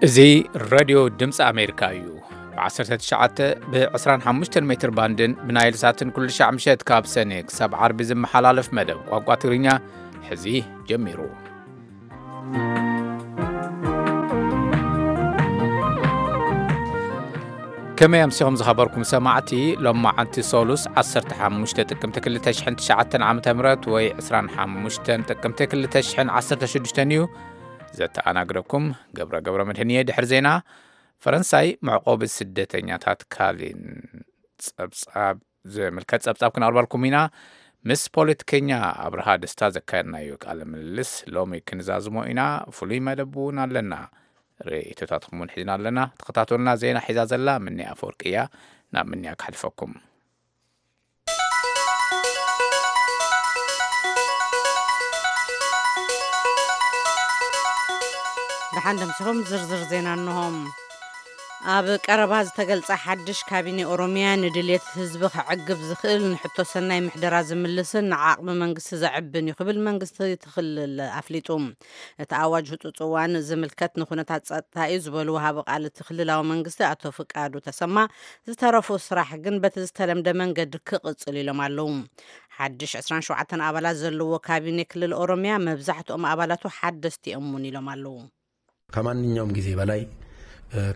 እዚ ሬድዮ ድምፂ ኣሜሪካ እዩ። ብ19 ብ25 ሜትር ባንድን ብናይል ሳትን ኩሉ ሻዕ ምሸት ካብ ሰኔ ክሳብ ዓርቢ ዝመሓላለፍ መደብ ቋንቋ ትግርኛ ሕዚ ጀሚሩ። ከመይ ኣምሲኹም ዝኸበርኩም ሰማዕቲ? ሎማዓንቲ ሶሉስ 15 ጥቅምቲ 2009 ዓ.ም ወይ 25 ጥቅምቲ 2016 እዩ። ዘተኣናግደኩም ገብረ ገብረ መድህን እየ። ድሕሪ ዜና፣ ፈረንሳይ መዕቆቢ ስደተኛታት ካሊን ጸብጻብ ዝምልከት ጸብጻብ ክነቕርበልኩም ኢና። ምስ ፖለቲከኛ ኣብርሃ ደስታ ዘካየድናዮ ቃለ ምልልስ ሎሚ ክንዛዝሞ ኢና። ፍሉይ መደብ እውን ኣለና። ርእይቶታትኩም እውን ሒዝና ኣለና። ተኸታተሉና። ዜና ሒዛ ዘላ ምንያ ኣፈወርቂ እያ። ናብ ምንያ ክሕልፈኩም። ደሓን ደምሲኹም። ዝርዝር ዜና እንሆም። ኣብ ቀረባ ዝተገልጸ ሓድሽ ካቢኔ ኦሮሚያ ንድልየት ህዝቢ ከዕግብ ዝኽእል፣ ንሕቶ ሰናይ ምሕደራ ዝምልስን ንዓቕሚ መንግስቲ ዘዕብን እዩ ክብል መንግስቲ እቲ ክልል ኣፍሊጡ። እቲ ኣዋጅ ህጹጽ እዋን ዝምልከት ንኩነታት ጸጥታ እዩ ዝበሉ ወሃቢ ቃል እቲ ክልላዊ መንግስቲ ኣቶ ፍቃዱ ተሰማ፣ ዝተረፉ ስራሕ ግን በቲ ዝተለምደ መንገዲ ክቕጽል ኢሎም ኣለዉ። ሓድሽ 27 ኣባላት ዘለዎ ካቢኔ ክልል ኦሮሚያ መብዛሕትኦም ኣባላቱ ሓደስቲ እዮም እውን ኢሎም ኣለዉ። ከማንኛውም ጊዜ በላይ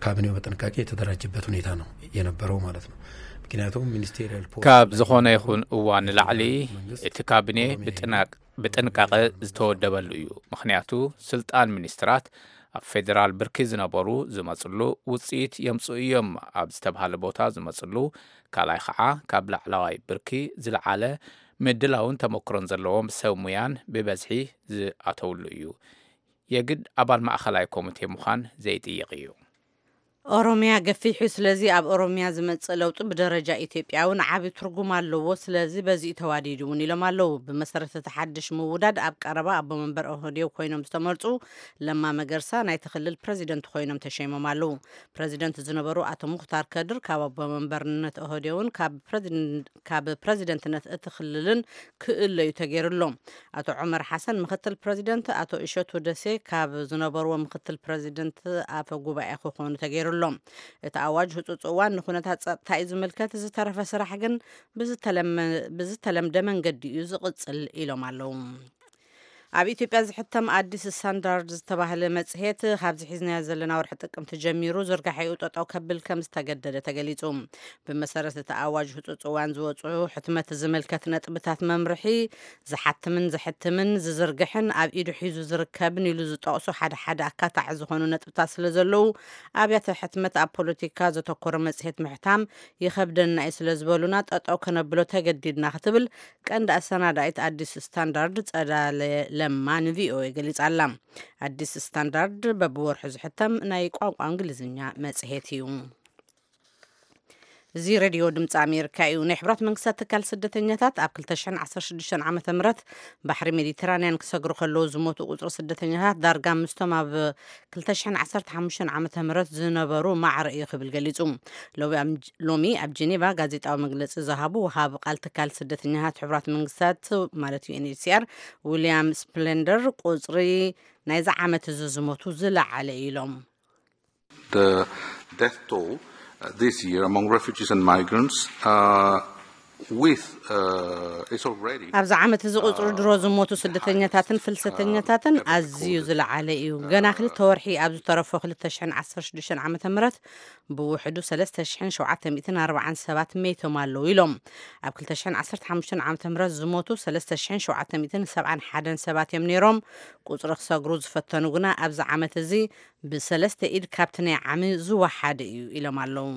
ካቢኔው በጥንቃቄ የተደራጀበት ሁኔታ ነው የነበረው ማለት ነው። ምክንያቱም ሚኒስቴሪያል ፖስት ካብ ዝኾነ ይኹን እዋን ንላዕሊ እቲ ካቢኔ ብጥናቅ ብጥንቃቐ ዝተወደበሉ እዩ። ምኽንያቱ ስልጣን ሚኒስትራት ኣብ ፌዴራል ብርኪ ዝነበሩ ዝመፅሉ፣ ውፅኢት የምፅኡ እዮም ኣብ ዝተባሃለ ቦታ ዝመፅሉ፣ ካልኣይ ከዓ ካብ ላዕለዋይ ብርኪ ዝለዓለ ምድላውን ተመክሮን ዘለዎም ሰብ ሙያን ብበዝሒ ዝኣተውሉ እዩ። የግድ ኣባል ማእኸላይ ኮሚቴ ምዃን ዘይጥይቕ እዩ። ኦሮሚያ ገፊሑ፣ ስለዚ ኣብ ኦሮሚያ ዝመጽእ ለውጢ ብደረጃ ኢትዮጵያ እውን ዓቢ ትርጉም ኣለዎ፣ ስለዚ በዚኡ ተዋዲዱ እውን ኢሎም ኣለዉ። ብመሰረት እቲ ሓድሽ ምውዳድ ኣብ ቀረባ ኣቦ መንበር ኦህዴው ኮይኖም ዝተመርጹ ለማ መገርሳ ናይቲ ክልል ፕረዚደንት ኮይኖም ተሸይሞም ኣለዉ። ፕረዚደንት ዝነበሩ ኣቶ ሙኽታር ከድር ካብ ኣቦ መንበርነት ኦህዴውን ካብ ፕረዚደንትነት እቲ ክልልን ክእለዩ ተገይሩ ኣሎ። ኣቶ ዑመር ሓሰን ምክትል ፕረዚደንት፣ ኣቶ እሸቱ ደሴ ካብ ዝነበርዎ ምክትል ፕረዚደንት ኣፈ ጉባኤ ክኾኑ ተገይሩ ኣሎ። እቲ ኣዋጅ ህፁፅ እዋን ንኩነታት ፀጥታ እዩ ዝምልከት፣ ዝተረፈ ስራሕ ግን ብዝተለመ- ብዝተለምደ መንገዲ እዩ ዝቕፅል ኢሎም ኣለዉ። ኣብ ኢትዮጵያ ዝሕተም ኣዲስ ስታንዳርድ ዝተባህለ መፅሄት ካብዚ ሒዝናዮ ዘለና ወርሒ ጥቅምቲ ጀሚሩ ዝርጋሐኡ ጠጠው ከብል ከም ዝተገደደ ተገሊፁ። ብመሰረት እቲ ኣዋጅ ህፁፅ እዋን ዝወፁ ሕትመት ዝምልከት ነጥብታት መምርሒ ዝሓትምን ዘሕትምን ዝዝርግሕን ኣብ ኢዱ ሒዙ ዝርከብን ኢሉ ዝጠቕሱ ሓደ ሓደ ኣካታዒ ዝኾኑ ነጥብታት ስለ ዘለዉ ኣብያተ ሕትመት ኣብ ፖለቲካ ዘተኮረ መፅሄት ምሕታም ይኸብደና እዩ ስለ ዝበሉና ጠጠው ከነብሎ ተገዲድና ክትብል ቀንዲ ኣሰናዳኢት ኣዲስ ስታንዳርድ ጸዳለ ለማ ንቪኦኤ ገሊጻ ኣላ። ኣዲስ ስታንዳርድ በብወርሑ ዝሕተም ናይ ቋንቋ እንግሊዝኛ መጽሔት እዩ። እዚ ሬድዮ ድምፂ ኣሜሪካ እዩ። ናይ ሕብራት መንግስታት ትካል ስደተኛታት ኣብ 2016 ዓመተ ምህረት ባሕሪ ሜዲተራንያን ክሰግሩ ከለዉ ዝሞቱ ቁፅሪ ስደተኛታት ዳርጋ ምስቶም ኣብ 2015 ዓመተ ምህረት ዝነበሩ ማዕረ እዩ ክብል ገሊፁ። ሎሚ ኣብ ሎሚ ኣብ ጀኔቫ ጋዜጣዊ መግለፂ ዝሃቡ ወሃቢ ቃል ትካል ስደተኛታት ሕቡራት መንግስታት ማለት ዩ ኤን ኤች ሲ ኣር ዊልያም ስፕሌንደር ቁፅሪ ናይዚ ዓመት እዚ ዝሞቱ ዝለዓለ እዩ ኢሎም። The death toll uh, this year among refugees and migrants uh, with uh, is already ኣብዚ ዓመት እዚ ቁፅሪ ድሮ ዝሞቱ ስደተኛታትን ፍልሰተኛታትን ኣዝዩ ዝለዓለ እዩ። ገና ክልተ ወርሒ ኣብ ዝተረፎ 2016 ዓመተ ምህረት ብውሕዱ 3,747 መይቶም ኣለዉ ኢሎም። ኣብ 2015 ዓመተ ምህረት ዝሞቱ 3,771 ሰባት እዮም ነይሮም። ቁፅሪ ክሰግሩ ዝፈተኑ ግና ኣብዚ ዓመት እዚ ብሰለስተ ኢድ ካብቲ ናይ ዓሚ ዝወሓደ እዩ ኢሎም ኣለዉ።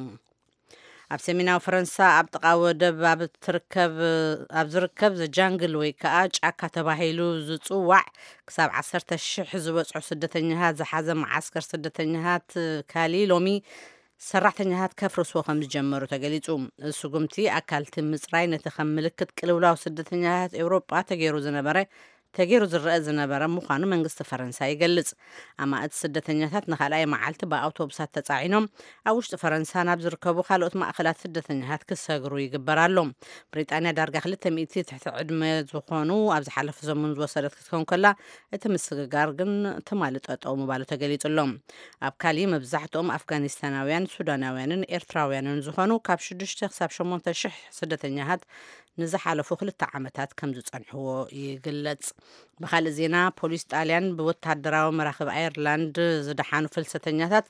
ኣብ ሰሜናዊ ፈረንሳ ኣብ ጥቓ ወደብ ኣብ ትርከብ ኣብ ዝርከብ ዘጃንግል ወይ ከዓ ጫካ ተባሂሉ ዝፅዋዕ ክሳብ ዓሰርተ ሽሕ ዝበፅሑ ስደተኛታት ዝሓዘ መዓስከር ስደተኛታት ካሊ ሎሚ ሰራሕተኛታት ከፍርስዎ ከም ዝጀመሩ ተገሊፁ። እዚ ስጉምቲ ኣካልቲ ምፅራይ ነቲ ከም ምልክት ቅልውላው ስደተኛታት ኤውሮጳ ተገይሩ ዝነበረ ተገይሩ ዝረአ ዝነበረ ምዃኑ መንግስቲ ፈረንሳ ይገልጽ። ኣማእት ስደተኛታት ንኻልኣይ መዓልቲ ብኣውቶቡሳት ተጻዒኖም ኣብ ውሽጢ ፈረንሳ ናብ ዝርከቡ ካልኦት ማእከላት ስደተኛታት ክሰግሩ ይግበር ኣሎ። ብሪጣንያ ዳርጋ ክልተ ሚእቲ ትሕቲ ዕድመ ዝኾኑ ኣብ ዝሓለፈ ሰሙን ዝወሰደት ክትከውን ከላ፣ እቲ ምስግጋር ግን ትማሊ ጠጠው ምባሉ ተገሊጹ ኣሎ። ኣብ ካሊ መብዛሕትኦም ኣፍጋኒስታናውያን፣ ሱዳናውያንን ኤርትራውያንን ዝኾኑ ካብ ሽዱሽተ ክሳብ ሸሞንተ ሽሕ ስደተኛታት ንዝሓለፉ ክልተ ዓመታት ከም ዝጸንሕዎ ይግለጽ። ብኻልእ ዜና፣ ፖሊስ ጣልያን ብወታደራዊ መራኽብ ኣየርላንድ ዝደሓኑ ፍልሰተኛታት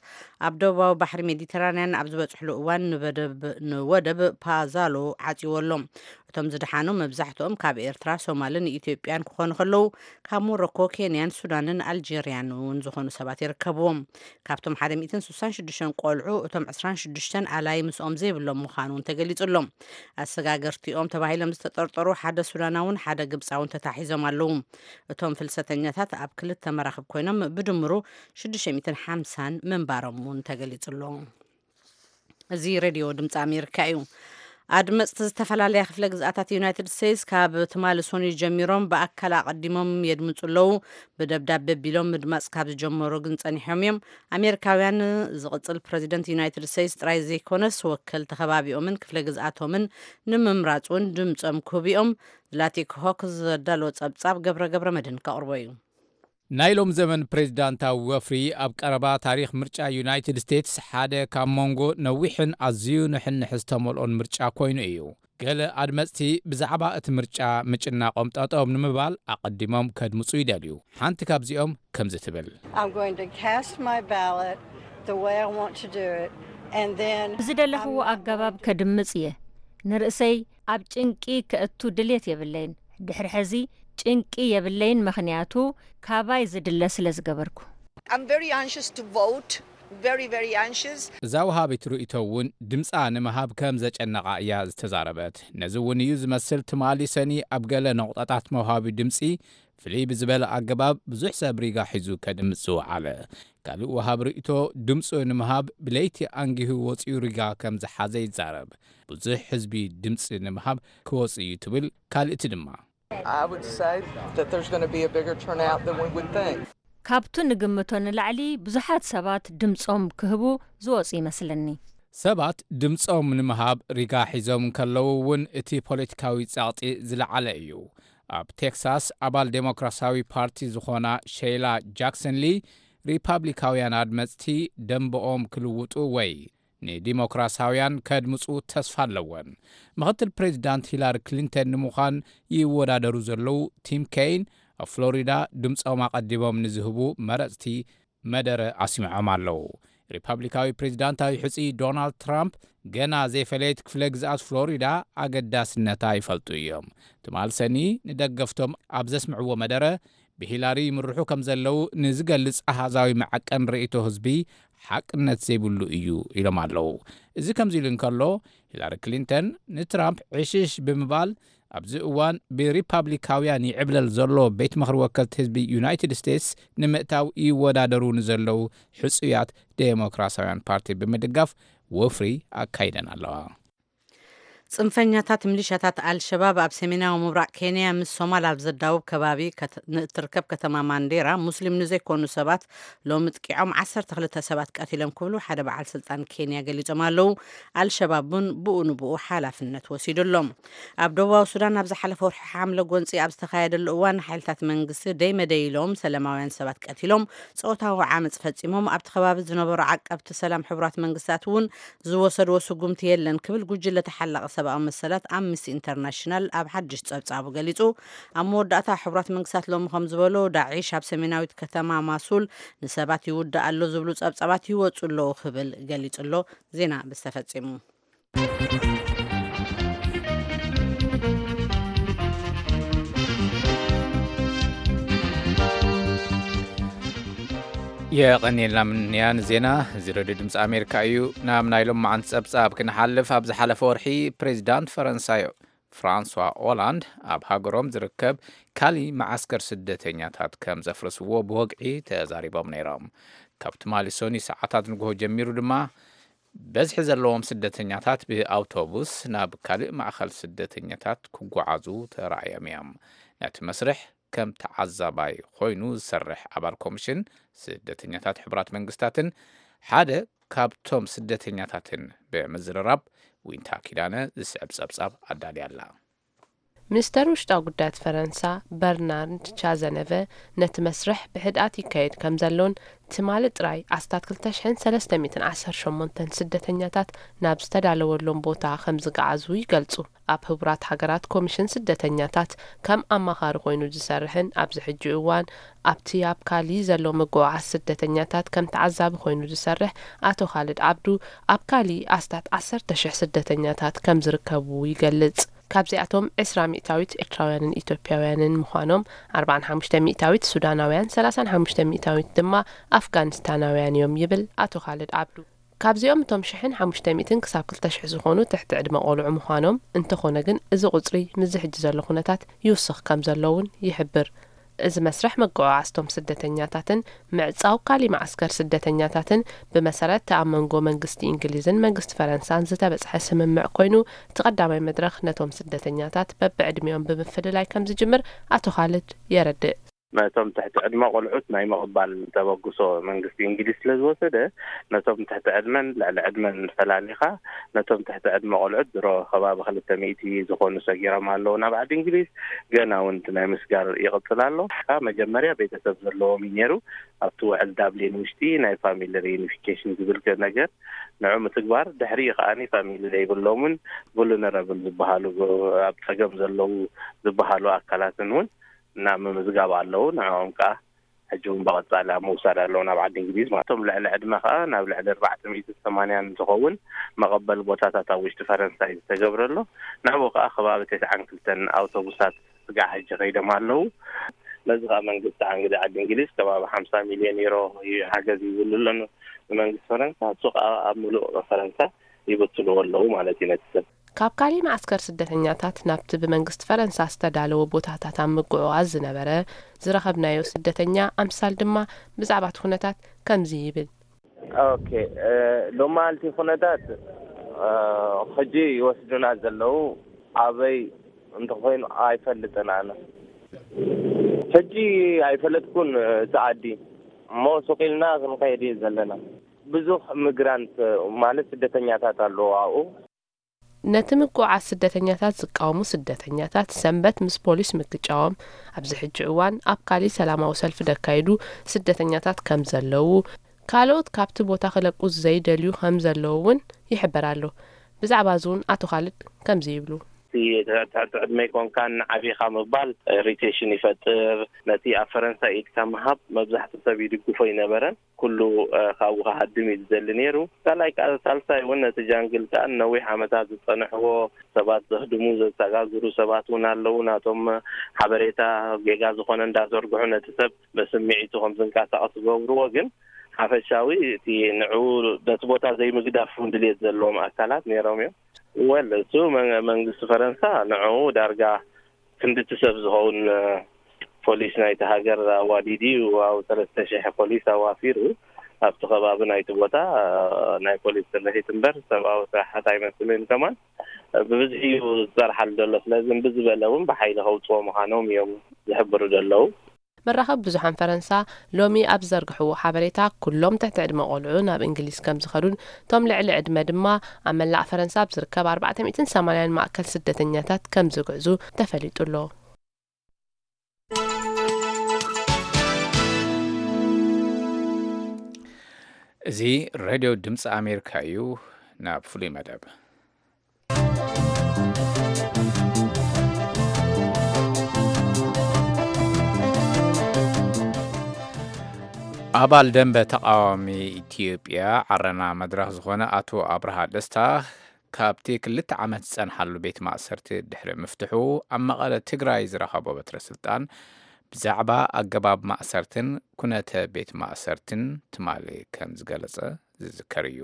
ኣብ ደቡባዊ ባሕሪ ሜዲተራንያን ኣብ ዝበጽሕሉ እዋን ንበደብ-፣ ንወደብ ፓዛሎ ዓጽይዎ ኣሎ። እቶም ዝደሓኑ መብዛሕትኦም ካብ ኤርትራ፣ ሶማልን ኢትዮጵያን ክኾኑ ከለዉ፣ ካብ ሞሮኮ፣ ኬንያን ሱዳንን ኣልጀርያን እውን ዝኾኑ ሰባት ይርከብዎም። ካብቶም ሓደ ሚእትን ስሳን ሽዱሽተን ቆልዑ፣ እቶም ዕስራን ሽዱሽተን ኣላይ ምስኦም ዘይብሎም ምዃኑ እውን ተገሊጹ ኣሎ። ኣሰጋገርቲኦም ተባሂሎም ዝተጠርጠሩ ሓደ ሱዳናውን ሓደ ግብጻውን ተታሒዞም ኣለዉ። እቶም ፍልሰተኛታት ኣብ ክልተ መራኽብ ኮይኖም ብድምሩ ሽዱሽተ ሚእትን ሓምሳን ምንባሮም እውን ተገሊጹ ኣሎ። እዚ ሬድዮ ድምፂ ኣሜሪካ እዩ። ኣድመፅቲ ዝተፈላለያ ክፍለ ግዝኣታት ዩናይትድ ስቴትስ ካብ ትማሊ ሰኑይ ጀሚሮም ብኣካል ኣቐዲሞም የድምፁ ኣለዉ። ብደብዳቤ ቢሎም ምድማፅ ካብ ዝጀመሩ ግን ፀኒሖም እዮም። ኣሜሪካውያን ዝቕፅል ፕረዚደንት ዩናይትድ ስቴትስ ጥራይ ዘይኮነስ ወከልቲ ከባቢኦምን ክፍለ ግዝኣቶምን ንምምራፅ እውን ድምፆም ክህቡ እዮም። ዝላቲክ ሆክ ዘዳለዎ ፀብፃብ ገብረ ገብረ መድህን ከቕርቦ እዩ። ናይ ሎም ዘመን ፕሬዚዳንታዊ ወፍሪ ኣብ ቀረባ ታሪኽ ምርጫ ዩናይትድ ስቴትስ ሓደ ካብ መንጎ ነዊሕን ኣዝዩ ንሕንሕ ዝተመልኦን ምርጫ ኮይኑ እዩ። ገለ ኣድመፅቲ ብዛዕባ እቲ ምርጫ ምጭናቖም ጠጠው ንምባል ኣቐዲሞም ከድምፁ ይደልዩ። ሓንቲ ካብዚኦም ከምዚ ትብል። I'm going to cast my ballot the way I want to do it, and then ዝደለኽዎ ኣገባብ ከድምፅ እየ። ንርእሰይ ኣብ ጭንቂ ከእቱ ድሌት የብለይን። ድሕሪ ሕዚ ጭንቂ የብለይን፣ ምኽንያቱ ካባይ ዝድለ ስለ ዝገበርኩ። I'm very anxious to vote, very, very anxious. እዛ ወሃቢት ርእይቶ እውን ድምፃ ንምሃብ ከም ዘጨነቓ እያ ዝተዛረበት። ነዚ እውን እዩ ዝመስል ትማሊ ሰኒ ኣብ ገለ ነቑጣታት መውሃቢ ድምፂ ፍልይ ብዝበለ ኣገባብ ብዙሕ ሰብ ሪጋ ሒዙ ከድምፅ ዝወዓለ። ካልእ ወሃቢ ርእይቶ ድምፁ ንምሃብ ብለይቲ ኣንጊሁ ወፂኡ ሪጋ ከም ዝሓዘ ይዛረብ። ብዙሕ ህዝቢ ድምፂ ንምሃብ ክወፅእ እዩ ትብል ካልእቲ ድማ። I would say that there's going to be a bigger turnout than we would think. ካብቱ ንግምቶ ንላዕሊ ብዙሓት ሰባት ድምፆም ክህቡ ዝወፁ ይመስለኒ። ሰባት ድምፆም ንምሃብ ሪጋ ሒዞም እንከለዉ እውን እቲ ፖለቲካዊ ጸቕጢ ዝለዓለ እዩ። ኣብ ቴክሳስ ኣባል ዴሞክራሲያዊ ፓርቲ ዝኾና ሼይላ ጃክሰን ሊ፣ ሪፓብሊካውያን ኣድመፅቲ ደንበኦም ክልውጡ ወይ ንዲሞክራሲያውያን ከድምፁ ተስፋ ኣለወን። ምኽትል ፕሬዚዳንት ሂላሪ ክሊንተን ንምዃን ይወዳደሩ ዘለዉ ቲም ኬይን ኣብ ፍሎሪዳ ድምፆም ኣቐዲሞም ንዝህቡ መረፅቲ መደረ ኣስሚዖም ኣለዉ። ሪፓብሊካዊ ፕሬዚዳንታዊ ሕፁይ ዶናልድ ትራምፕ ገና ዘይፈለየት ክፍለ ግዝኣት ፍሎሪዳ ኣገዳስነታ ይፈልጡ እዮም። ትማል ሰኒ ንደገፍቶም ኣብ ዘስምዕዎ መደረ ብሂላሪ ይምርሑ ከም ዘለዉ ንዝገልጽ ኣሃዛዊ መዐቀን ርእይቶ ህዝቢ ሓቅነት ዘይብሉ እዩ ኢሎም ኣለዉ። እዚ ከምዚ ኢሉ እንከሎ፣ ሂላሪ ክሊንተን ንትራምፕ ዕሽሽ ብምባል ኣብዚ እዋን ብሪፓብሊካውያን ይዕብለል ዘሎ ቤት ምኽሪ ወከልቲ ህዝቢ ዩናይትድ ስቴትስ ንምእታው ይወዳደሩ ንዘለዉ ሕጹያት ዴሞክራሲያውያን ፓርቲ ብምድጋፍ ወፍሪ ኣካይደን ኣለዋ። ጽንፈኛታት ሚሊሻታት ኣልሸባብ ኣብ ሰሜናዊ ምብራቕ ኬንያ ምስ ሶማል ኣብ ዘዳውብ ከባቢ ከት-፣ ንእትርከብ ከተማ ማንዴራ ሙስሊም ንዘይኮኑ ሰባት ሎሚ ጥቂዖም ዓሰርተ ክልተ ሰባት ቀቲሎም ክብሉ ሓደ በዓል ስልጣን ኬንያ ገሊጾም ኣለዉ። ኣልሸባብ እውን ብኡ ንብኡ ሓላፍነት ወሲዱ ኣሎ። ኣብ ደቡባዊ ሱዳን ኣብ ዝሓለፈ ወርሒ ሓምለ ጎንጺ ኣብ ዝተኻየደሉ እዋን ሓይልታት መንግስቲ ደይ መደይ ኢሎም ሰላማውያን ሰባት ቀቲሎም ጾታዊ ዓመጽ ፈጺሞም። ኣብቲ ከባቢ ዝነበሩ ዓቀብቲ ሰላም ሕቡራት መንግስታት እውን ዝወሰድዎ ስጉምቲ የለን ክብል ጉጅለ ተሓላቒ ሰብኣዊ መሰላት ኣምነስቲ ኢንተርናሽናል ኣብ ሓድሽ ጸብጻቡ ገሊጹ። ኣብ መወዳእታ ሕቡራት መንግስታት ሎሚ ከም ዝበሎ ዳዒሽ ኣብ ሰሜናዊት ከተማ ማሱል ንሰባት ይውድእ ኣሎ ዝብሉ ጸብጻባት ይወጹ ኣለዉ ክብል ገሊጹ ኣሎ። ዜና ብዝተፈጺሙ። የቐንየልና ምንያን ዜና። እዚ ሬድዮ ድምፂ ኣሜሪካ እዩ። ናብ ናይ ሎማዓንቲ ጸብጻብ ክንሓልፍ፣ ኣብ ዝሓለፈ ወርሒ ፕሬዚዳንት ፈረንሳይ ፍራንሷ ኦላንድ ኣብ ሃገሮም ዝርከብ ካሊ መዓስከር ስደተኛታት ከም ዘፍረስዎ ብወግዒ ተዛሪቦም ነይሮም። ካብ ትማሊ ሰኑይ ሰዓታት ንግሆ ጀሚሩ ድማ በዝሒ ዘለዎም ስደተኛታት ብኣውቶቡስ ናብ ካልእ ማእኸል ስደተኛታት ክጓዓዙ ተራእዮም እዮም። ነቲ መስርሕ ከም ተዓዛባይ ኮይኑ ዝሰርሕ ኣባል ኮሚሽን ስደተኛታት ሕቡራት መንግስታትን ሓደ ካብቶም ስደተኛታትን ብምዝርራብ፣ ዊንታ ኪዳነ ዝስዕብ ጸብጻብ ኣዳልያ ኣላ። ሚኒስተር ውሽጣዊ ጉዳያት ፈረንሳ በርናርድ ቻዘነቨ ነቲ መስርሕ ብህድኣት ይካየድ ከም ዘሎን ትማሊ ጥራይ ኣስታት ክልተ ሽሕን ሰለስተ ሚእትን ዓሰርተ ሸሞንተን ስደተኛታት ናብ ዝተዳለወሎም ቦታ ከም ዝገዓዙ ይገልጹ። ኣብ ህቡራት ሃገራት ኮሚሽን ስደተኛታት ከም ኣማኻሪ ኮይኑ ዝሰርሕን ኣብዚ ሕጂ እዋን ኣብቲ ኣብ ካሊ ዘሎ ምጉዕዓዝ ስደተኛታት ከም ተዓዛቢ ኮይኑ ዝሰርሕ ኣቶ ካልድ ዓብዱ፣ ኣብ ካሊ ኣስታት ዓሰርተ ሽሕ ስደተኛታት ከም ዝርከቡ ይገልጽ። ካብዚኣቶም ዕስራ ሚእታዊት ኤርትራውያንን ኢትዮጵያውያንን ምዃኖም፣ ኣርባዓን ሓሙሽተ ሚእታዊት ሱዳናውያን፣ ሰላሳን ሓሙሽተ ሚእታዊት ድማ ኣፍጋኒስታናውያን እዮም ይብል ኣቶ ካልድ ዓብዱ። ካብዚኦም እቶም ሽሕን ሓሙሽተ ሚእትን ክሳብ ክልተ ሽሕ ዝኾኑ ትሕቲ ዕድመ ቆልዑ ምዃኖም፣ እንተኾነ ግን እዚ ቁጽሪ ምስዚ ሕጂ ዘሎ ኩነታት ይውስኽ ከም ዘሎ እውን ይሕብር። እዚ መስርሕ ምጉዕዓዝቶም ስደተኛታትን ምዕጻው ካሊ መዓስከር ስደተኛታትን ብመሰረት እቲ ኣብ መንጎ መንግስቲ እንግሊዝን መንግስቲ ፈረንሳን ዝተበጽሐ ስምምዕ ኮይኑ፣ እቲ ቀዳማይ መድረኽ ነቶም ስደተኛታት በብዕድሚኦም ብምፍልላይ ከም ዝጅምር ኣቶ ካልድ የረድእ። ነቶም ትሕቲ ዕድመ ቆልዑት ናይ ምቕባል ተበግሶ መንግስቲ እንግሊዝ ስለ ዝወሰደ፣ ነቶም ትሕቲ ዕድመን ልዕሊ ዕድመን ፈላሊኻ፣ ነቶም ትሕቲ ዕድመ ቆልዑት ድሮ ከባቢ ክልተ ሚእቲ ዝኾኑ ሰጊሮም ኣለዉ ናብ ዓዲ እንግሊዝ። ገና እውን እቲ ናይ ምስጋር ይቕጽል ኣሎ። መጀመርያ ቤተሰብ ዘለዎም እዩ ነይሩ። ኣብቲ ውዕል ዳብሊን ውሽጢ ናይ ፋሚሊ ሪዩኒፊኬሽን ዝብል ነገር ንዑ ምትግባር፣ ድሕሪኡ ከኣ ፋሚሊ ዘይብሎምን ቡሉነረብል ዝበሃሉ፣ ኣብ ጸገም ዘለዉ ዝበሃሉ ኣካላትን እውን ናብ ምምዝጋብ ኣለዉ። ንዕኦም ከኣ ሕጂ እውን ብቐጻሊ ኣብ ምውሳድ ኣለዉ ናብ ዓዲ እንግሊዝ። ማለት እቶም ልዕሊ ዕድመ ከኣ ናብ ልዕሊ ኣርባዕተ ሚእትን ሰማንያን ዝኸውን መቐበሊ ቦታታት ኣብ ውሽጢ ፈረንሳ እዩ ዝተገብረ ኣሎ። ናብኡ ከኣ ከባቢ ተስዓን ክልተን ኣውቶቡሳት ስጋዕ ሕጂ ከይዶም ኣለዉ። ነዚ ከኣ መንግስቲ ዓንግዲ ዓዲ እንግሊዝ ከባቢ ሓምሳ ሚልዮን ዩሮ እዩ ሓገዝ ይብሉ ኣሎ ንመንግስቲ ፈረንሳ። እሱ ከኣ ኣብ ምሉእ ፈረንሳ ይብትንዎ ኣለዉ ማለት እዩ ነቲ ሰብ። ካብ ካሊ መዓስከር ስደተኛታት ናብቲ ብመንግስቲ ፈረንሳ ዝተዳለወ ቦታታት ኣብ ምጉዕዓዝ ዝነበረ ዝረኸብናዮ ስደተኛ ኣምሳል ድማ ብዛዕባ እቲ ኩነታት ከምዚ ይብል። ኦኬ፣ ሎማልቲ ኩነታት ሕጂ ይወስዱና ዘለዉ ኣበይ እንተኾይኑ ኣይፈልጥን ኣነ። ሕጂ ኣይፈለጥኩን እቲ ዓዲ እሞ ሱቕ ኢልና ክንኸይድ እዩ ዘለና። ብዙሕ ሚግራንት ማለት ስደተኛታት ኣለዉ ኣብኡ። ነቲ ምጉዕዓዝ ስደተኛታት ዝቃወሙ ስደተኛታት ሰንበት ምስ ፖሊስ ምግጫዎም ኣብዚ ሕጂ እዋን ኣብ ካሊ ሰላማዊ ሰልፊ ደካይዱ ስደተኛታት ከም ዘለዉ፣ ካልኦት ካብቲ ቦታ ክለቁ ዘይደልዩ ከም ዘለዉ እውን ይሕበር ኣሎ። ብዛዕባ እዚ እውን ኣቶ ካልድ ከምዚ ይብሉ። እቲ ትሕቲ ዕድመ ኣይኮንካን ዓቢኻ ምባል ኢሪቴሽን ይፈጥር። ነቲ ኣብ ፈረንሳ ኢድካ ምሃብ መብዛሕትኡ ሰብ ይድግፎ ኣይነበረን። ኩሉ ካብኡ ክሃድም እዩ ዝደሊ ነይሩ። ካልኣይ ከኣ ሳልሳይ እውን ነቲ ጃንግል ከኣ ንነዊሕ ዓመታት ዝጸንሕዎ ሰባት ዘህድሙ ዘሰጋግሩ ሰባት እውን ኣለዉ። ናቶም ሓበሬታ ጌጋ ዝኾነ እንዳዘርግሑ ነቲ ሰብ ብስምዒቱ ከም ዝንቀሳቐስ ዝገብርዎ። ግን ሓፈሻዊ እቲ ንዕኡ ነቲ ቦታ ዘይምግዳፍ እውን ድልየት ዘለዎም ኣካላት ነይሮም እዮም። ወል እሱ መንግስቲ ፈረንሳ ንዕኡ ዳርጋ ክንድቲ ሰብ ዝኸውን ፖሊስ ናይቲ ሃገር ኣዋዲዱ እዩ። ኣብ ሰለስተ ሽሕ ፖሊስ ኣዋፊሩ ኣብቲ ከባቢ ናይቲ ቦታ ናይ ፖሊስ ስርሒት እምበር ሰብኣዊ ስራሓት ኣይመስልን። ከማን ብብዝሒ እዩ ዝፀርሓሉ ዘሎ። ስለዚ እምቢ ዝበለ እውን ብሓይሊ ከውፅዎ ምዃኖም እዮም ዝሕብሩ ዘለዉ። መራኸቢ ብዙሓን ፈረንሳ ሎሚ ኣብ ዝዘርግሕዎ ሓበሬታ፣ ኩሎም ትሕቲ ዕድመ ቆልዑ ናብ እንግሊዝ ከም ዝኸዱን እቶም ልዕሊ ዕድመ ድማ ኣብ መላእ ፈረንሳ ኣብ ዝርከብ ኣርባዕተ ሚእትን ሰማንያን ማእከል ስደተኛታት ከም ዝግዕዙ ተፈሊጡ ኣሎ። እዚ ሬድዮ ድምፂ ኣሜሪካ እዩ። ናብ ፍሉይ መደብ። ኣባል ደንበ ተቓዋሚ ኢትዮጵያ ዓረና መድረኽ ዝኾነ ኣቶ ኣብርሃ ደስታ፣ ካብቲ ክልተ ዓመት ዝጸንሓሉ ቤት ማእሰርቲ ድሕሪ ምፍትሑ፣ ኣብ መቐለ ትግራይ ዝረኸቦ በትረ ስልጣን ብዛዕባ ኣገባብ ማእሰርትን ኩነተ ቤት ማእሰርትን ትማሊ ከም ዝገለጸ ዝዝከር እዩ።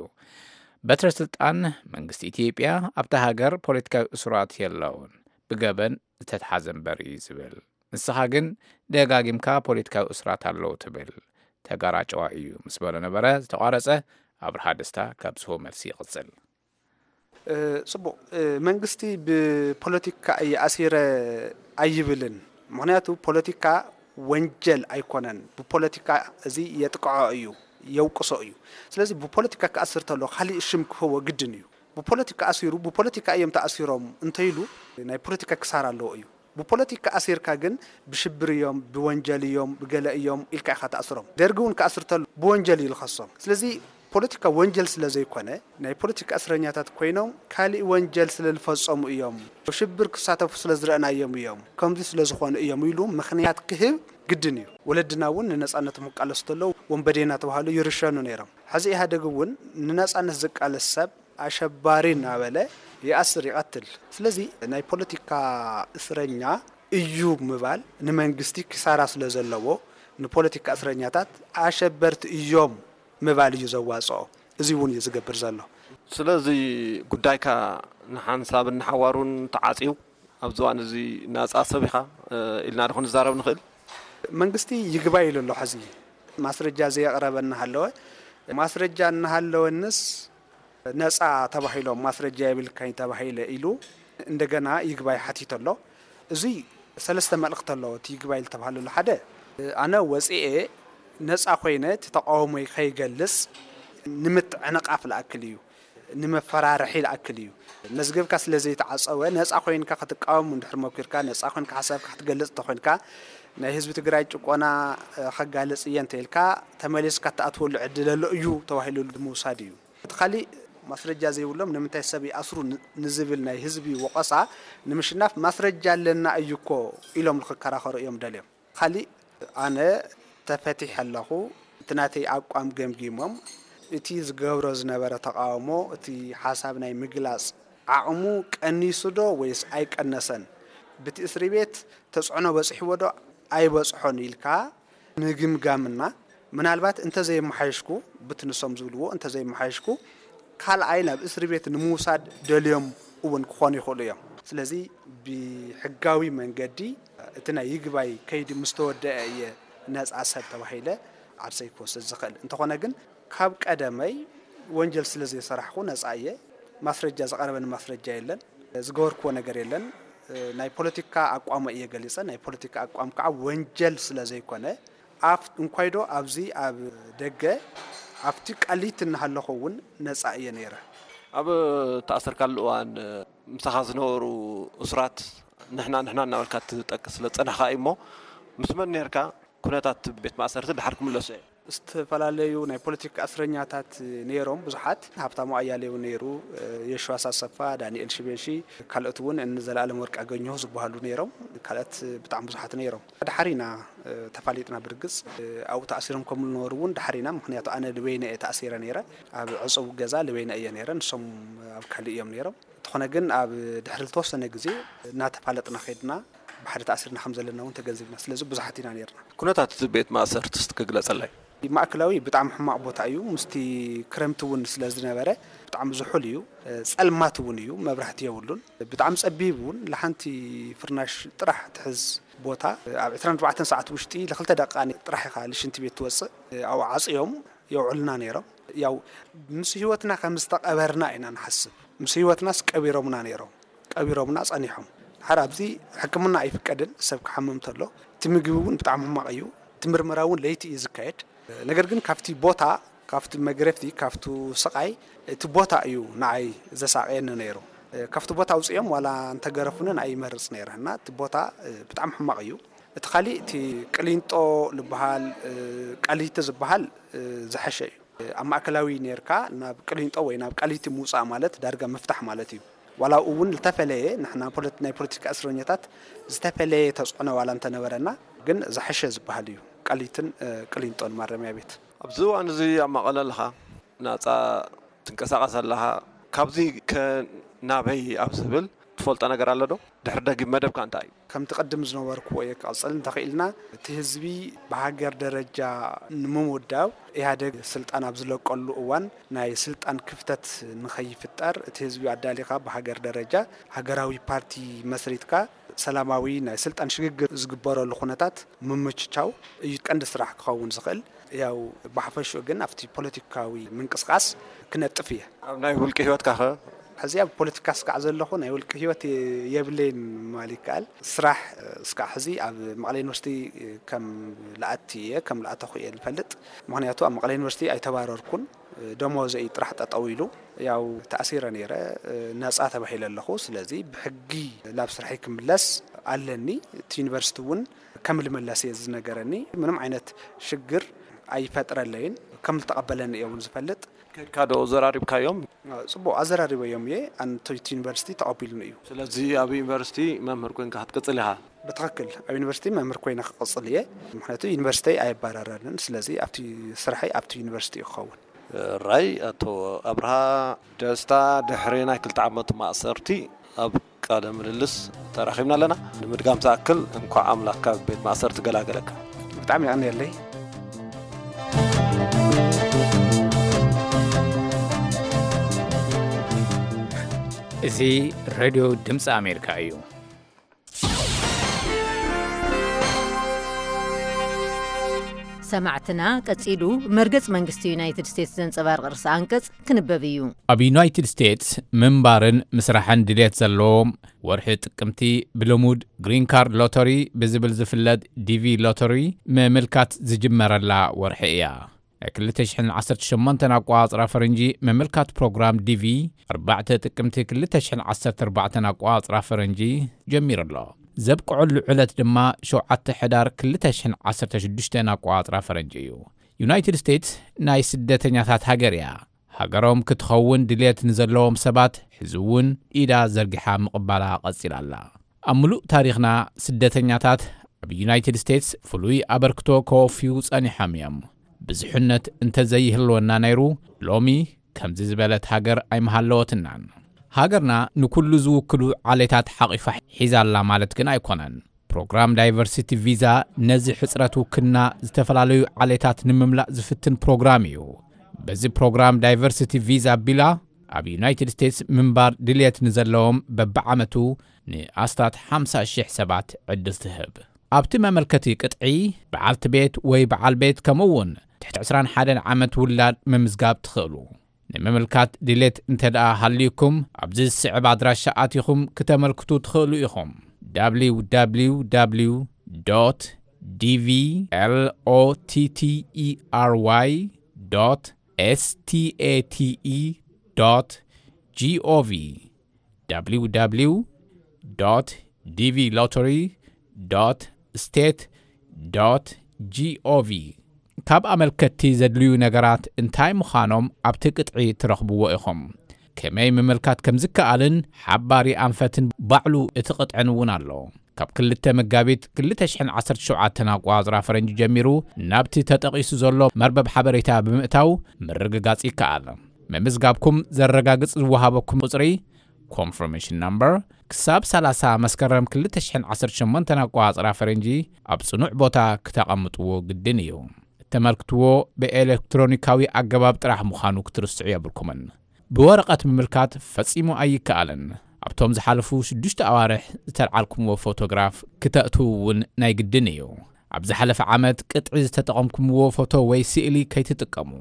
በትረ ስልጣን መንግስቲ ኢትዮጵያ ኣብታ ሃገር ፖለቲካዊ እሱራት የለውን፣ ብገበን ዝተትሓዘ እምበር እዩ ዝብል። ንስኻ ግን ደጋጊምካ ፖለቲካዊ እሱራት ኣለዉ ትብል። ተጋራጨዋ እዩ ምስ በሎ ነበረ ዝተቋረጸ። ኣብርሃ ደስታ ካብ ዝህቦ መልሲ ይቕጽል። ጽቡቕ። መንግስቲ ብፖለቲካ እየ ኣሲረ ኣይብልን። ምክንያቱ ፖለቲካ ወንጀል ኣይኮነን። ብፖለቲካ እዚ የጥቅዖ እዩ፣ የውቅሶ እዩ። ስለዚ ብፖለቲካ ክኣስር ተሎ ካሊእ ሽም ክህቦ ግድን እዩ። ብፖለቲካ ኣሲሩ ብፖለቲካ እዮም ተኣሲሮም እንተይሉ ናይ ፖለቲካ ክሳራ ኣለዎ እዩ። ብፖለቲካ ኣሲርካ ግን ብሽብር እዮም፣ ብወንጀል እዮም፣ ብገለ እዮም ኢልካ ኢኻ ተኣስሮም። ደርጊ እውን ክኣስር ተሎ ብወንጀል እዩ ዝኸሶም። ስለዚ ፖለቲካ ወንጀል ስለ ዘይኮነ ናይ ፖለቲካ እስረኛታት ኮይኖም ካሊእ ወንጀል ስለ ዝፈጸሙ እዮም፣ ሽብር ክሳተፉ ስለ ዝረእናዮም እዮም፣ ከምዚ ስለ ዝኾኑ እዮም ኢሉ ምኽንያት ክህብ ግድን እዩ። ወለድና እውን ንነጻነቶም ክቃለሱ ተለዉ ወንበዴ እናተባህሉ ይርሸኑ ነይሮም። ሕዚ ኢህኣደግ እውን ንነጻነት ዝቃለስ ሰብ ኣሸባሪ እናበለ ይኣስር ይቐትል። ስለዚ ናይ ፖለቲካ እስረኛ እዩ ምባል ንመንግስቲ ክሳራ ስለ ዘለዎ ንፖለቲካ እስረኛታት ኣሸበርቲ እዮም ምባል እዩ ዘዋፅኦ። እዚ እውን እዩ ዝገብር ዘሎ። ስለዚ ጉዳይካ ንሓንሳብን ንሓዋሩን ተዓፅዩ ኣብዚ እዋን እዚ ናፃ ሰብ ኢኻ ኢልና ዶ ክንዛረብ ንኽእል? መንግስቲ ይግባይ ኢሉ ኣሎ። ሕዚ ማስረጃ ዘየቕረበ እናሃለወ ማስረጃ እናሃለወንስ ነፃ ተባሂሎም ማስረጃ የብልካኝ ተባሂለ ኢሉ እንደገና ይግባይ ሓቲቱ ኣሎ። እዚ ሰለስተ መልእኽቲ ኣለዎ። እቲ ይግባይ ዝተባህለሉ ሓደ ኣነ ወፂኤ ነፃ ኮይነ እቲ ተቃውሞይ ከይገልፅ ንምትዕንቃፍ ዝኣክል እዩ፣ ንመፈራርሒ ዝኣክል እዩ። መዝገብካ ስለ ዘይተዓፀወ ነፃ ኮይንካ ክትቃወም እንድሕር መኪርካ፣ ነፃ ኮይንካ ሓሳብካ ክትገልፅ እንተኮይንካ ናይ ህዝቢ ትግራይ ጭቆና ከጋልፅ እየ እንተኢልካ ተመሊስካ እትኣትወሉ ዕድል ኣሎ እዩ ተባሂሉ ምውሳድ እዩ። እቲ ካሊእ ማስረጃ ዘይብሎም ንምንታይ ሰብ ይኣስሩ ንዝብል ናይ ህዝቢ ወቐሳ ንምሽናፍ ማስረጃ ኣለና እዩ እኮ ኢሎም ንክከራኸሩ እዮም ደልዮም። ካሊእ ኣነ ተፈቲሐ ኣለኹ፣ እቲ ናተይ ኣቋም ገምጊሞም እቲ ዝገብሮ ዝነበረ ተቓውሞ እቲ ሓሳብ ናይ ምግላፅ ዓቕሙ ቀኒሱ ዶ ወይስ ኣይቀነሰን፣ ብቲ እስሪ ቤት ተፅዕኖ በፂሕዎ ዶ ኣይበፅሖን ኢልካ ምግምጋምና ምናልባት እንተዘየመሓየሽኩ ብቲ ንሶም ዝብልዎ እንተዘየመሓየሽኩ ካልኣይ ናብ እስሪ ቤት ንምውሳድ ደልዮም እውን ክኾኑ ይኽእሉ እዮም። ስለዚ ብሕጋዊ መንገዲ እቲ ናይ ይግባይ ከይዲ ምስ ተወደአ እየ ነፃ ሰብ ተባሂለ ዓርሰይ ክወስድ ዝኽእል። እንተኾነ ግን ካብ ቀደመይ ወንጀል ስለ ዘይሰራሕኩ ነፃ እየ። ማስረጃ ዝቐረበኒ ማስረጃ የለን፣ ዝገበርክዎ ነገር የለን። ናይ ፖለቲካ ኣቋመ እየ ገሊፀ፣ ናይ ፖለቲካ ኣቋም ከዓ ወንጀል ስለ ዘይኮነ ኣፍ እንኳይዶ ኣብዚ ኣብ ደገ ኣብቲ ቃሊቲ እናሃለኹ እውን ነፃ እየ ነይረ። ኣብ ተኣሰርካሉ እዋን ምሳኻ ዝነበሩ እሱራት ንሕና ንሕና እናበልካ ትጠቅስ ስለ ዝፀናሕካ እዩ እሞ ምስ መን ነርካ? ኩነታት ቤት ማእሰርቲ ድሓር ክምለሱ እየ። ዝተፈላለዩ ናይ ፖለቲካ እስረኛታት ነይሮም ብዙሓት። ሃብታሙ ኣያሌው ነይሩ፣ የሽዋስ ኣሰፋ፣ ዳንኤል ሽበሺ፣ ካልኦት እውን እኒ ዘላለም ወርቅ ኣገኘሁ ዝበሃሉ ነይሮም። ካልኦት ብጣዕሚ ብዙሓት ነይሮም። ድሓር ኢና ተፋሊጥና። ብርግፅ ኣብኡ ተኣሲሮም ከም ዝነበሩ እውን ድሓር ኢና፣ ምክንያቱ ኣነ ልበይነ እየ ተኣሲረ ነይረ። ኣብ ዕፁብ ገዛ ልበይነ እየ ነይረ፣ ንሶም ኣብ ካልእ እዮም ነይሮም። እንተኾነ ግን ኣብ ድሕሪ ዝተወሰነ ግዜ እናተፋለጥና ከይድና ብሓደ ተኣሲርና ከም ዘለና እውን ተገንዚብና። ስለዚ ብዙሓት ኢና ነይርና። ኩነታት እቲ ቤት ማእሰርቲ እስቲ ክግለጸለይ። ማእከላዊ ብጣዕሚ ሕማቕ ቦታ እዩ። ምስቲ ክረምቲ እውን ስለ ዝነበረ ብጣዕሚ ዝሑል እዩ። ጸልማት እውን እዩ፣ መብራህቲ የብሉን። ብጣዕሚ ጸቢብ እውን፣ ለሓንቲ ፍርናሽ ጥራሕ ትሕዝ ቦታ። ኣብ ዕስራን ኣርባዕተን ሰዓት ውሽጢ ለክልተ ደቂቃ ጥራሕ ኢኻ ልሽንቲ ቤት ትወጽእ። ኣብኡ ዓጽዮም የውዕሉና ነይሮም። ያው ምስ ህይወትና ከም ዝተቐበርና ኢና ንሓስብ። ምስ ህይወትናስ ቀቢሮምና ነይሮም፣ ቀቢሮምና ጸኒሖም። ድሓር ኣብዚ ሕክምና ኣይፍቀድን፣ ሰብ ክሓምም ተሎ። እቲ ምግቢ እውን ብጣዕሚ ሕማቕ እዩ። እቲ ምርመራ እውን ለይቲ እዩ ዝካየድ። ነገር ግን ካብቲ ቦታ፣ ካብቲ መግረፍቲ፣ ካብቱ ስቓይ፣ እቲ ቦታ እዩ ንዓይ ዘሳቕየኒ ነይሩ። ካብቲ ቦታ ኣውፅኦም ዋላ እንተገረፉኒ ንዓይ ይመርፅ ነይረ እና እቲ ቦታ ብጣዕሚ ሕማቕ እዩ። እቲ ካሊእ እቲ ቅሊንጦ ዝበሃል፣ ቃሊቲ ዝበሃል ዝሐሸ እዩ። ኣብ ማእከላዊ ኔርካ ናብ ቅሊንጦ ወይ ናብ ቃሊቲ ምውጻእ ማለት ዳርጋ ምፍታሕ ማለት እዩ። ዋላ ኣብኡ እውን ዝተፈለየ ንሕና ፖለቲ-፣ ናይ ፖለቲካ እስረኛታት ዝተፈለየ ተጽዕኖ ዋላ እንተነበረና ግን ዝሐሸ ዝበሃል እዩ ቃሊትን፣ እ፣ ቅሊንጦን ማረሚያ ቤት። ኣብዚ እዋን እዚ ኣብ መቐለ ኣለኻ፣ ናጻ ትንቀሳቐስ ኣለኻ። ካብዚ ከ ናበይ ኣብ ዝብል ትፈልጦ ነገር ኣሎ ዶ? ድሕሪ ደጊም መደብካ እንታይ እዩ? ከምቲ ቅድም ዝነበርክዎ እየ ክቐጽል እንተኽኢልና፣ እቲ ህዝቢ ብሃገር ደረጃ ንምውዳብ ኢህኣደግ ስልጣን ኣብ ዝለቀሉ እዋን ናይ ስልጣን ክፍተት ንኸይፍጠር እቲ ህዝቢ ኣዳሊኻ ብሃገር ደረጃ ሃገራዊ ፓርቲ መስሪትካ ሰላማዊ ናይ ስልጣን ሽግግር ዝግበረሉ ኩነታት ምምችቻው እዩ ቀንዲ ስራሕ ክኸውን ዝኽእል። ያው ብሓፈሽኡ ግን ኣብቲ ፖለቲካዊ ምንቅስቃስ ክነጥፍ እየ። ኣብ ናይ ውልቂ ህይወትካ ኸ ሕዚ ኣብ ፖለቲካ ስካዕ ዘለኹ ናይ ውልቂ ህይወት የብለይን ምባል ይከኣል። ስራሕ ስካዕ ሕዚ ኣብ መቐለ ዩኒቨርሲቲ ከም ልኣቲ እየ፣ ከም ልኣተኹ እየ ዝፈልጥ። ምኽንያቱ ኣብ መቐለ ዩኒቨርሲቲ ኣይተባረርኩን፣ ደሞዘይ ጥራሕ ጠጠው ኢሉ፣ ያው ተኣሲረ ነይረ፣ ነፃ ተባሂለ ኣለኹ። ስለዚ ብሕጊ ናብ ስርሐይ ክምለስ ኣለኒ። እቲ ዩኒቨርሲቲ እውን ከም ልምለስ እየ ዝነገረኒ። ምንም ዓይነት ሽግር ኣይፈጥረለይን፣ ከም ዝተቐበለኒ እየ እውን ዝፈልጥ። ከድካ ዶ ዘራሪብካዮም? ጽቡቕ ኣዘራሪበዮም እየ። ኣንቶይቲ ዩኒቨርሲቲ ተቐቢሉኒ እዩ። ስለዚ ኣብ ዩኒቨርሲቲ መምህር ኮይንካ ክትቅጽል ኢኻ? ብትኽክል ኣብ ዩኒቨርሲቲ መምህር ኮይነ ክቕጽል እየ። ምኽንያቱ ዩኒቨርሲቲ ኣየባረረንን፣ ስለዚ ኣብቲ ስራሐይ ኣብቲ ዩኒቨርሲቲ እዩ ክኸውን። ራይ ኣቶ ኣብርሃ ደስታ ድሕሪ ናይ ክልተ ዓመት ማእሰርቲ ኣብ ቃለ ምልልስ ተራኺብና ኣለና። ንምድጋም ዝኣክል፣ እንኳዕ ኣምላኽ ካብ ቤት ማእሰርቲ ገላገለካ። ብጣዕሚ የቐንየለይ። እዚ ሬድዮ ድምፂ ኣሜሪካ እዩ። ሰማዕትና፣ ቀጺሉ መርገጽ መንግስቲ ዩናይትድ ስቴትስ ዘንጸባርቕ ርእሰ ኣንቀጽ ክንበብ እዩ። ኣብ ዩናይትድ ስቴትስ ምንባርን ምስራሕን ድሌት ዘለዎም፣ ወርሒ ጥቅምቲ ብልሙድ ግሪን ካርድ ሎተሪ ብዝብል ዝፍለጥ ዲቪ ሎተሪ ምምልካት ዝጅመረላ ወርሒ እያ። ናይ ክልተ ሽሕን ዓሰርተ ሸሞንተን ኣቆጻጽራ ፈረንጂ ምምልካት ፕሮግራም ዲቪ፣ ኣርባዕተ ጥቅምቲ ክልተ ሽሕን ዓሰርተ ኣርባዕተን ኣቆጻጽራ ፈረንጂ ጀሚሩ ኣሎ። ዘብቅዐሉ ዕለት ድማ ሸውዓተ ሕዳር ክልተ ሽሕን ዓሰርተ ሽዱሽተን ኣቆጻጽራ ፈረንጂ እዩ። ዩናይትድ ስቴትስ ናይ ስደተኛታት ሃገር እያ። ሃገሮም ክትኸውን ድልየት ንዘለዎም ሰባት ሕዚ እውን ኢዳ ዘርጊሓ ምቕባላ ቀጺላ ኣላ። ኣብ ምሉእ ታሪኽና ስደተኛታት ኣብ ዩናይትድ ስቴትስ ፍሉይ ኣበርክቶ ከወፍዩ ጸኒሖም እዮም። ብዙሕነት እንተዘይህልወና ነይሩ፣ ሎሚ ከምዚ ዝበለት ሃገር ኣይምሃለወትናን። ሃገርና ንኩሉ ዝውክሉ ዓሌታት ሓቒፋ ሒዛ ኣላ ማለት ግን ኣይኮነን። ፕሮግራም ዳይቨርሲቲ ቪዛ ነዚ ሕጽረት ውክልና ዝተፈላለዩ ዓሌታት ንምምላእ ዝፍትን ፕሮግራም እዩ። በዚ ፕሮግራም ዳይቨርሲቲ ቪዛ ኣቢላ ኣብ ዩናይትድ ስቴትስ ምንባር ድልየት ንዘለዎም በብዓመቱ ንኣስታት ሓምሳ ሽሕ ሰባት ዕድል ትህብ። ኣብቲ መመልከቲ ቅጥዒ በዓልቲ ቤት ወይ በዓል ቤት ከምኡ እውን ትሕቲ ዕስራን ሓደን ዓመት ውላድ ምምዝጋብ ትኽእሉ። ንምምልካት ድሌት እንተ ደኣ ሃልዩኩም፣ ኣብዚ ዝስዕብ ኣድራሻ ኣቲኹም ክተመልክቱ ትኽእሉ ኢኹም። www dvlottery state gov www dvlottery state gov ካብ ኣመልከትቲ ዘድልዩ ነገራት እንታይ ምዃኖም ኣብቲ ቅጥዒ ትረኽብዎ ኢኹም። ከመይ ምምልካት ከም ዝከኣልን ሓባሪ ኣንፈትን ባዕሉ እቲ ቅጥዕን እውን ኣሎ። ካብ ክልተ መጋቢት ክልተ ሽሕን ዓሰርተ ሸውዓተን ኣቆጻጽራ ፈረንጂ ጀሚሩ ናብቲ ተጠቒሱ ዘሎ መርበብ ሓበሬታ ብምእታው ምርግጋጽ ይከኣል። ምምዝጋብኩም ዘረጋግጽ ዝወሃበኩም ቁጽሪ፣ ኮንፈርሜሽን ናምበር፣ ክሳብ ሰላሳ መስከረም ክልተ ሽሕን ዓሰርተ ሸሞንተን ኣቆጻጽራ ፈረንጂ ኣብ ጽኑዕ ቦታ ክተቐምጥዎ ግድን እዩ። እተመልክትዎ ብኤሌክትሮኒካዊ ኣገባብ ጥራሕ ምዃኑ ክትርስዑ የብልኩምን። ብወረቐት ምምልካት ፈጺሙ ኣይከኣልን። ኣብቶም ዝሓለፉ ሽዱሽተ ኣዋርሕ ዝተልዓልኩምዎ ፎቶግራፍ ክተእትዉ እውን ናይ ግድን እዩ። ኣብ ዝሓለፈ ዓመት ቅጥዒ ዝተጠቐምኩምዎ ፎቶ ወይ ስእሊ ከይትጥቀሙ።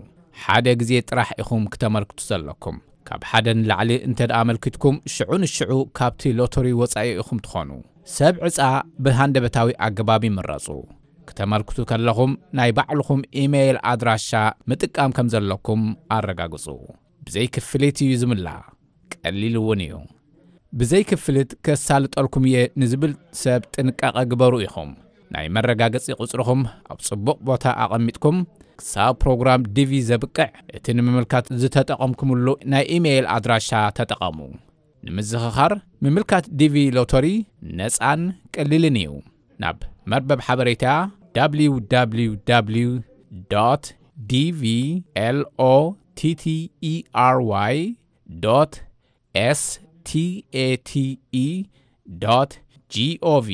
ሓደ ግዜ ጥራሕ ኢኹም ክተመልክቱ ዘለኩም። ካብ ሓደ ንላዕሊ እንተ ደኣ ኣመልኪትኩም፣ ሽዑ ንሽዑ ካብቲ ሎተሪ ወጻኢ ኢኹም ትኾኑ። ሰብ ዕጻ ብሃንደበታዊ ኣገባብ ይምረጹ። ክተመልክቱ ከለኹም ናይ ባዕልኹም ኢሜይል ኣድራሻ ምጥቃም ከም ዘለኩም ኣረጋግጹ። ብዘይ ክፍሊት እዩ ዝምላእ። ቀሊል እውን እዩ። ብዘይ ክፍሊት ከሳልጠልኩም እየ ንዝብል ሰብ ጥንቃቐ ግበሩ ኢኹም። ናይ መረጋገጺ ቁጽርኹም ኣብ ጽቡቕ ቦታ ኣቐሚጥኩም ክሳብ ፕሮግራም ዲቪ ዘብቅዕ እቲ ንምምልካት ዝተጠቐምኩምሉ ናይ ኢሜይል ኣድራሻ ተጠቐሙ። ንምዝኽኻር፣ ምምልካት ዲቪ ሎተሪ ነጻን ቀሊልን እዩ። ናብ መርበብ ሓበሬታ www dvlottery state gov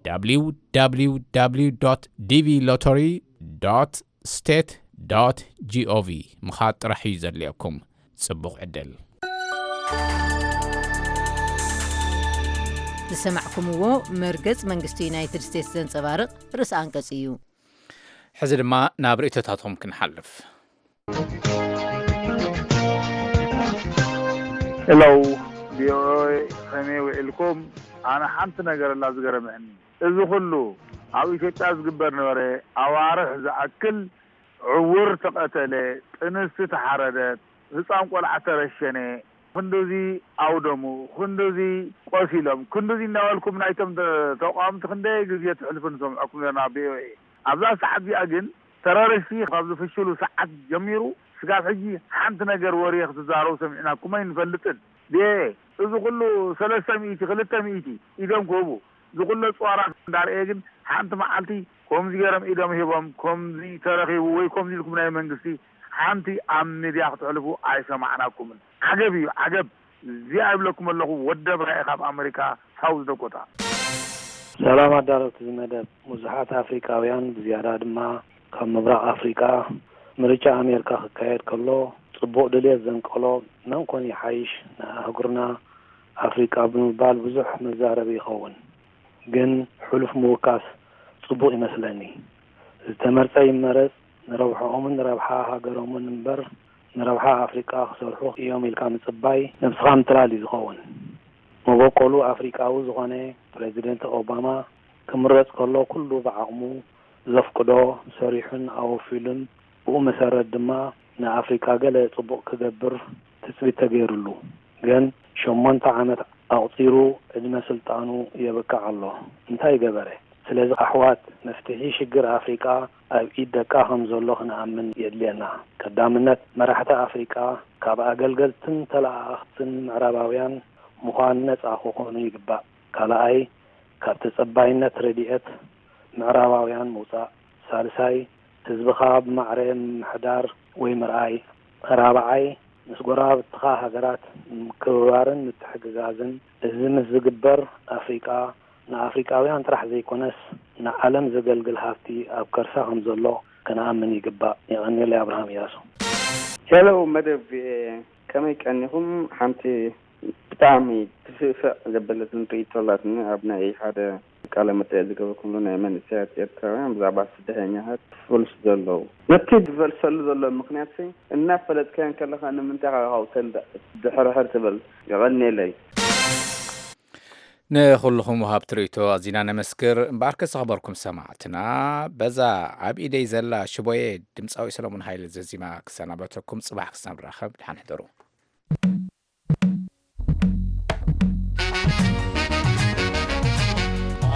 www dvlottery state gov ምኻድ ጥራሕ እዩ ዘድልየኩም። ጽቡቕ ዕድል። ዝሰማዕኩምዎ መርገጽ መንግስቲ ዩናይትድ ስቴትስ ዘንጸባርቕ ርእሰ ኣንቀጽ እዩ። ሕዚ ድማ ናብ ርእይቶታቶም ክንሓልፍ። ሄሎ፣ ቪኦኤ፣ ከመይ ውዒልኩም? ኣነ ሓንቲ ነገር ኣላ ዝገረመኒ። እዚ ኩሉ ኣብ ኢትዮጵያ ዝግበር ነበረ ኣዋርሕ ዝኣክል ዕውር ተቐተለ፣ ጥንስቲ ተሓረደት፣ ህፃን ቆልዓ ተረሸነ፣ ክንድዚ ኣውደሙ፣ ክንድዚ ቆሲሎም፣ ክንድዚ እናበልኩም ናይቶም ተ-፣ ተቃወምቲ ክንደይ ግዜ ትሕልፉ ንሰምዐኩም ነርና ኣብ ቪኦኤ። ኣብዛ ሰዓት እዚኣ ግን ተረረሽቲ ካብ ዝፍሽሉ ሰዓት ጀሚሩ ስጋብ ሕጂ ሓንቲ ነገር ወሬ ክትዛረቡ ሰሚዕናኩም ኣይንፈልጥን። ዴ፣ እዚ ኩሉ ሰለስተ ሚእቲ፣ ክልተ ሚእቲ ኢዶም ክህቡ፣ እዚ ኩሉ ኣጽዋራት እንዳርኤ ግን ሓንቲ መዓልቲ ከምዚ ገይሮም ኢዶም ሂቦም፣ ከምዚ ተረኺቡ ወይ ከምዚ ኢልኩም ናይ መንግስቲ ሓንቲ ኣብ ሚድያ ክትሕልፉ ኣይሰማዕናኩምን። ዓገብ እዩ፣ ዓገብ። እዚኣ ይብለኩም ኣለኹ፣ ወዲ ኣብራየ ካብ ኣመሪካ ሳውዝ ደኮታ። ሰላም ኣዳለውቲ እዚ መደብ። ብዙሓት ኣፍሪቃውያን ብዝያዳ ድማ ካብ ምብራቕ ኣፍሪቃ ምርጫ ኣሜሪካ ክካየድ ከሎ ጽቡቕ ድልየት ዘንቀሎ መን ኮን ይሓይሽ ንኣህጉርና ኣፍሪቃ ብምባል ብዙሕ መዛረቢ ይኸውን። ግን ሕሉፍ ምውካስ ጽቡቕ ይመስለኒ። ዝተመርጸ ይመረጽ፣ ንረብሕኦምን ንረብሓ ሃገሮምን እምበር ንረብሓ ኣፍሪቃ ክሰርሑ እዮም ኢልካ ምጽባይ ነብስኻ ምትላል እዩ ዝኸውን። መበቆሉ ኣፍሪቃዊ ዝኾነ ፕረዚደንት ኦባማ ክምረጽ ከሎ ኩሉ ብዓቕሙ ዘፍቅዶ ሰሪሑን ኣወፊሉን ብኡ መሰረት ድማ ንኣፍሪቃ ገለ ጽቡቕ ክገብር ትጽቢት ተገይሩሉ። ግን ሸሞንተ ዓመት ኣቑጺሩ ዕድመ ስልጣኑ የብቅዕ ኣሎ። እንታይ ገበረ? ስለዚ ኣሕዋት መፍትሒ ሽግር ኣፍሪቃ ኣብ ኢድ ደቃ ከም ዘሎ ክንኣምን የድልየና። ቀዳምነት መራሕቲ ኣፍሪቃ ካብ ኣገልገልትን ተለኣኣኽትን ምዕራባውያን ምዃን ነጻ ክኾኑ ይግባእ። ካልኣይ ካብ ተጸባይነት ረድኤት ምዕራባውያን ምውጻእ። ሳልሳይ ህዝብኻ ብማዕረ ምምሕዳር ወይ ምርኣይ። ራብዓይ ምስ ጎረባብትኻ ሃገራት ምክብባርን ምትሕግጋዝን። እዚ ምስ ዝግበር ኣፍሪቃ ንኣፍሪቃውያን ጥራሕ ዘይኮነስ ንዓለም ዘገልግል ሃብቲ ኣብ ከርሳ ከም ዘሎ ክንኣምን ይግባእ። የቐንየለይ። ኣብርሃም እያሱ። ሄሎ መደብ ቪኦኤ፣ ከመይ ቀኒኹም? ሓንቲ ብጣዕሚ ትስእስዕ ዘበለትን ርእይቶ ኣላትኒ። ኣብ ናይ ሓደ ቃለ መጠየቅ ዝገበርኩምሉ ናይ መንእሰያት ኤርትራውያን ብዛዕባ ስደተኛታት ፉልስ ዘለዉ ነቲ ዝፈልሰሉ ዘሎ ምኽንያት ሲ እናፈለጥካዮ እንከለኻ ንምንታይ ኢኻ ካብኡ ተንድዕ ድሕርሕር ትብል? የቐንየለይ። ንኹልኹም ወሃብቲ ርእይቶ ኣዚና ነመስግር። እምበኣርከ ዝኸበርኩም ሰማዕትና፣ በዛ ኣብ ኢደይ ዘላ ሽቦየ ድምፃዊ ሰሎሞን ሃይለ ዘዚማ ክሰናበተኩም። ጽባሕ ክሳብ ንራኸብ፣ ደሓን ሕደሩ።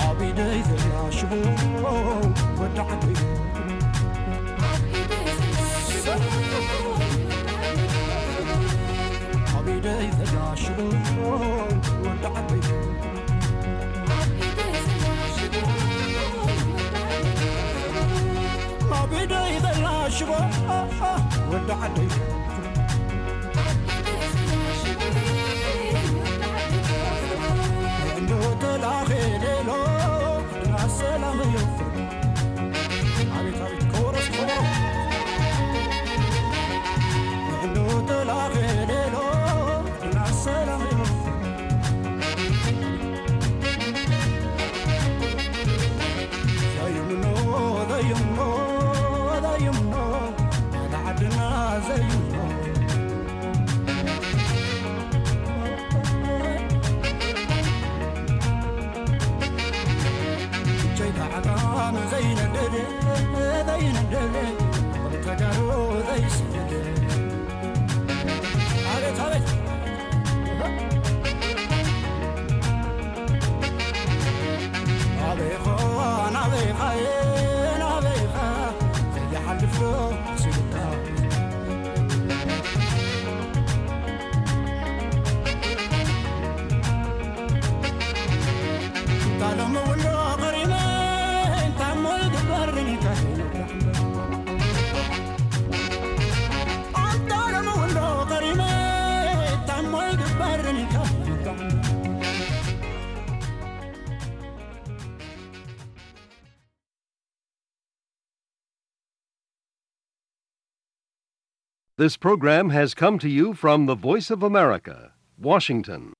ኣብ ኢደይ ዘላ ሽቦ ወዲ ዓደይ፣ ኣብ ኢደይ ዘላ ሽቦ ወዲ ዓደይ፣ ኣብ ኢደይ ዘላ ሽቦ ወዲ ዓደይ። This program has come to you from the Voice of America, Washington.